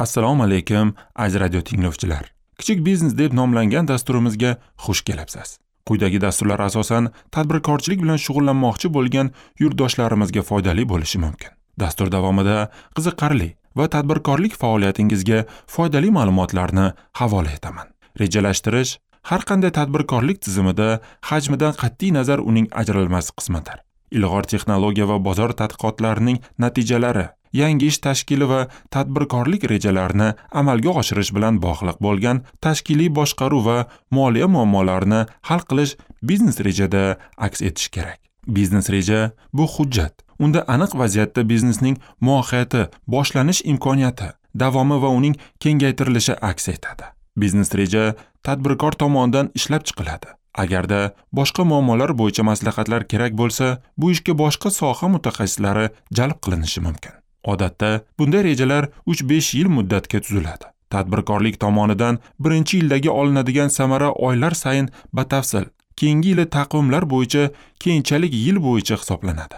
Assalomu alaykum, aziz radio tinglovchilar. Kichik biznes deb nomlangan dasturimizga xush kelibsiz. Quyidagi dasturlar asosan tadbirkorchilik bilan shug'ullanmoqchi bo'lgan yurtdoshlarimizga foydali bo'lishi mumkin. Dastur davomida qiziqarli va tadbirkorlik faoliyatingizga foydali ma'lumotlarni havola etaman. Rejalashtirish har qanday tadbirkorlik tizimida hajmidan qat'iy nazar uning ajralmas qismidir. Ilg'or texnologiya va bozor tadqiqotlarining natijalari, yangi ish tashkili va tadbirkorlik rejalarini amalga oshirish bilan bog'liq bo'lgan tashkiliy boshqaruv va moliya muammolarini hal qilish biznes rejada aks etishi kerak. Biznes reja bu hujjat. Unda aniq vaziyatda biznesning mohiyati, boshlanish imkoniyati, davomi va uning kengaytirilishi aks etadi. Biznes reja tadbirkor tomonidan ishlab chiqiladi. Agarda boshqa muammolar bo'yicha maslahatlar kerak bo'lsa, bu ishga boshqa soha mutaxassislari jalb qilinishi mumkin. Odatda bunday rejalar 3-5 yil muddatga tuziladi. Tadbirkorlik tomonidan birinchi yildagi olinadigan samara oylar sayin batafsil, keyingi yili taqvimlar bo'yicha, keyinchalik yil bo'yicha hisoblanadi.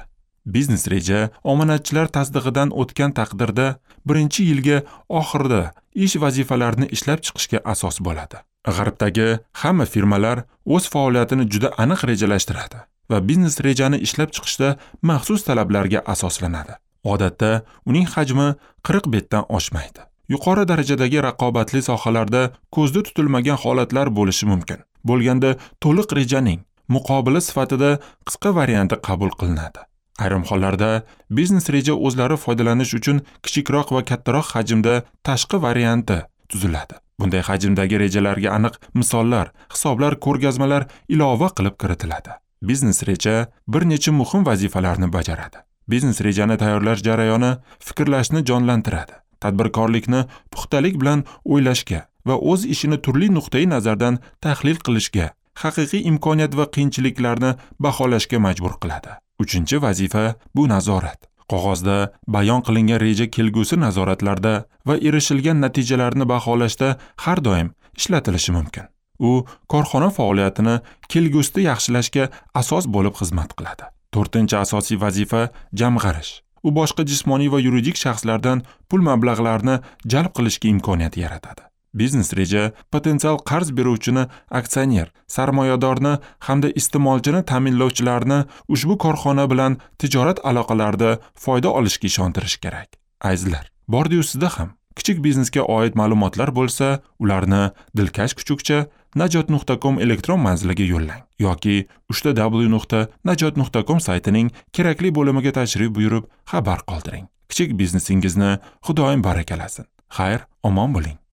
Biznes reja omonatchilar tasdig'idan o'tgan taqdirda birinchi yilga oxirida ish vazifalarini ishlab chiqishga asos bo'ladi. G'arbdagi hamma firmalar o'z faoliyatini juda aniq rejalashtiradi va biznes rejani ishlab chiqishda maxsus talablarga asoslanadi. Odatda uning hajmi 40 betdan oshmaydi. Yuqori darajadagi raqobatli sohalarda ko'zda tutilmagan holatlar bo'lishi mumkin. Bo'lganda to'liq rejaning muqobili sifatida qisqa varianti qabul qilinadi. Ayrim hollarda biznes reja o'zlari foydalanish uchun kichikroq va kattaroq hajmda tashqi varianti tuziladi. Bunday hajmdagi rejalarga aniq misollar, hisoblar, ko'rgazmalar ilova qilib kiritiladi. Biznes reja bir necha muhim vazifalarni bajaradi. Biznes rejani tayyorlash jarayoni fikrlashni jonlantiradi. Tadbirkorlikni puxtalik bilan o'ylashga va o'z ishini turli nuqtai nazardan tahlil qilishga, haqiqiy imkoniyat va qiyinchiliklarni baholashga majbur qiladi. Uchinchi vazifa bu nazorat. Qog'ozda bayon qilingan reja kelgusi nazoratlarda va erishilgan natijalarni baholashda har doim ishlatilishi mumkin. U korxona faoliyatini kelgusida yaxshilashga asos bo'lib xizmat qiladi. To'rtinchi asosiy vazifa jamg'arish. U boshqa jismoniy va yuridik shaxslardan pul mablag'larini jalb qilishga imkoniyat yaratadi. Biznes reja potensial qarz beruvchini, aksioner, sarmoyadorni hamda iste'molchini ta'minlovchilarni ushbu korxona bilan tijorat aloqalarida foyda olishga ishontirish kerak. Azizlar, bordi-yu sizda ham kichik biznesga oid ma'lumotlar bo'lsa, ularni dilkash kuchukcha najot.com elektron manziliga yo'llang yoki www.najot.com saytining kerakli bo'limiga tashrif buyurib xabar qoldiring. Kichik biznesingizni Xudoyim barakalasin. Xayr, omon bo'ling.